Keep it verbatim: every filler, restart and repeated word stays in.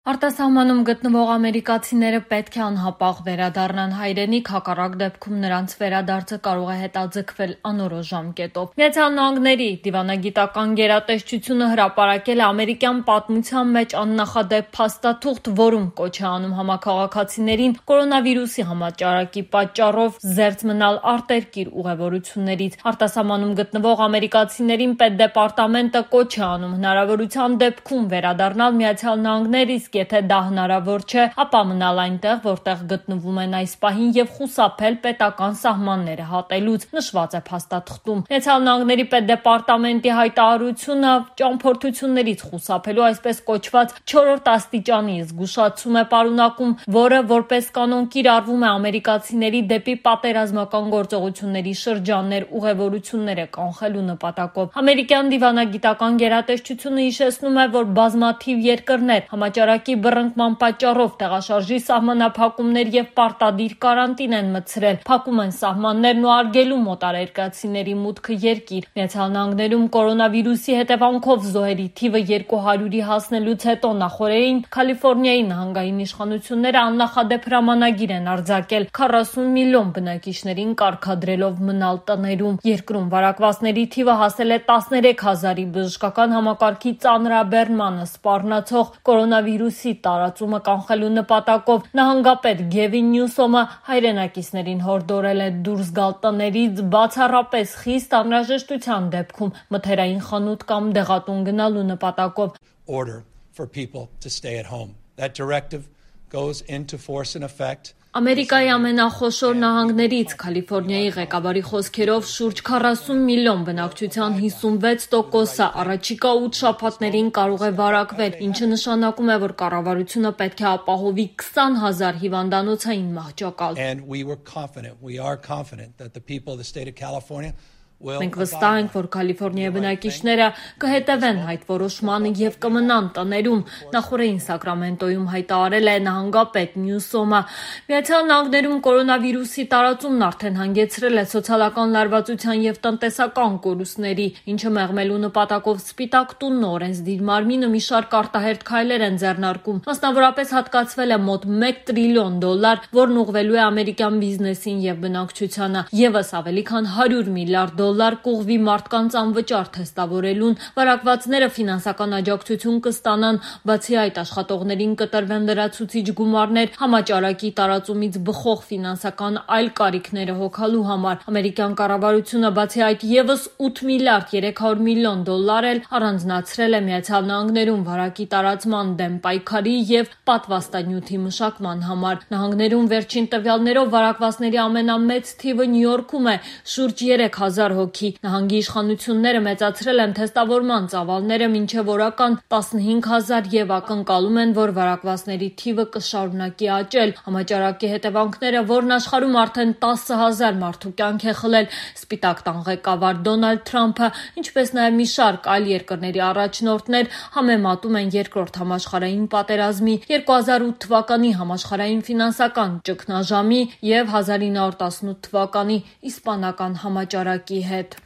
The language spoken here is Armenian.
Արտասահմանում գտնվող ամերիկացիները պետք է անհապաղ վերադառնան հայրենիք, հակառակ դեպքում նրանց վերադարձը կարող է հետաձգվել անորոշ ժամկետով։ Միացյալ Նահանգների դիվանագիտական գերատեսչությունը հրապարակել է ամերիկյան պատմության մեջ աննախադեպ փաստաթուղթ, որում կոչ է անում համաքաղաքացիներին կորոնավիրուսի համաճարակի պատճառով զերծ մնալ արտերկիր ուղևորություններից։ Արտասահմանում գտնվող ամերիկացիներին պետդեպարտամենտը կոչ է անում հնարավորության դեպքում վերադառնալ Միացյալ Նահանգներ, իսկ եթե դա հնարավոր չէ, ապա մնալ այնտեղ, որտեղ գտնվում են այս պահին եւ խուսափել պետական սահմանները հատելուց, նշված է փաստաթղթում։ Միացյալ Նահանգների պետդեպարտամենտի հայտարարությունը ճամփորդություններից խուսափելու այսպես կոչված չորրորդ աստիճանի զգուշացում է պարունակում, որը որպես կանոն կիրառվում է ամերիկացիների դեպի պատերազմական գործողությունների շրջաններ ուղևորությունները կանխելու նպատակով։ Ամերիկյան դիվանագիտական գերատեսչությունը հիշեցնում է, որ բազմաթիվ երկրներ համաճարակի բռնկման պատճառով տեղաշարժի սահմանափակումներ եւ պարտադիր կարանտին են մտցրել, փակում են սահմաններն ու արգելում մոտարերկրացիների մուտքը երկիր։ Միացյալ Նահանգներում կորոնավիրուսի հետևանքով զոհերի թիվը երկու հարյուրի հասնելուց հետո նախորդին Կալիֆոռնիայի նահանգային իշխանությունները աննախադեպ հրամանագիր են արձակել քառասուն միլիոն բնակիչներին կարգադրելով մնալ տներում։ Երկրում վարակվածների թիվը հասել է տասներեք հազարի, բժշկական համակարգի ծանրաբեռնմանը սպառնացող կորոնավիրուսի տարածումը կանխելու նպատակով նահանգապետ Գևին Նյուսոմը հայրենակիցներին հորդորել է դուրս գալ տներից բացառապես խիստ անհրաժեշտության դեպքում մթերային խանութ կամ դեղատուն գնալու նպատակով։ Order for people to stay at home. That directive goes into force in effect. Ամերիկայի ամենախոշոր նահանգներից Կալիֆոռնիայի ղեկավարի խոսքերով շուրջ քառասուն միլիոն բնակչության հիսունվեց տոկոսը առաջիկա ութ շաբաթներին կարող է վարակվել, ինչը նշանակում է, որ կառավարությունը պետք է ապահովի քսան հազար հիվանդանոցային մահճակալ։ And we were confident, we are confident that the people of the state of California Մենք վստահ ենք, որ Կալիֆոռնիայի բնակիչները կհետևեն այդ որոշմանը եւ կմնան տներում, նախորդին Սակրամենտոյում հայտարարել է նահանգապետ Նյուսոմը։ Միացյալ Նահանգներում կորոնավիրուսի տարածումն արդեն հանգեցրել է սոցիալական լարվածության եւ տնտեսական կորուստների, ինչը մեղմելու նպատակով Սպիտակ տունն օրենսդիր մարմինը մի շարք արտահերթ քայլեր են ձեռնարկում։ Մասնավորապես հատկացվել է մոտ մեկ տրիլիոն դոլար, որն ուղղվելու է ամերիկյան բիզնեսին եւ բնակչությանը, եւս ավելի քան հարյուր միլիարդ դոլար կուղվի մարդկանց անվճար թեստավորելուն, վարակվածները ֆինանսական աջակցություն կստանան, բացի այդ աշխատողներին կտրվեն լրացուցիչ գումարներ համաճարակի տարածումից բխող ֆինանսական այլ կարիքները հոգալու համար։ Ամերիկյան կառավարությունը բացի այդ եւս ութ միլիարդ երեք հարյուր միլիոն դոլար էլ առանձնացրել է Միացյալ Նահանգներում վարակի տարածման դեմ պայքարի եւ պատվաստանյութի մշակման համար։ Նահանգներում վերջին տվյալներով վարակվածների ամենամեծ թիվը Նյու Յորքում է՝ շուրջ երեք հազար հոգի։ Նահանգի իշխանությունները մեծացրել են թեստավորման ծավալները մինչև օրական տասնհինգ հազար եւ ակնկալում են, որ վարակվածների թիվը կշարունակի աճել։ Համաճարակի հետևանքները, որն աշխարհում արդեն տասը հազար մարդու կյանք է խլել, Սպիտակ տան ղեկավար Դոնալդ Թրամփը, ինչպես նաեւ մի շարք այլ երկրների առաջնորդներ համեմատում են երկրորդ համաշխարհային պատերազմի, երկու հազար ութ թվականի համաշխարհային ֆինանսական ճգնաժամի եւ հազար ինը հարյուր տասնութ թվականի իսպանական համաճարակի հետ։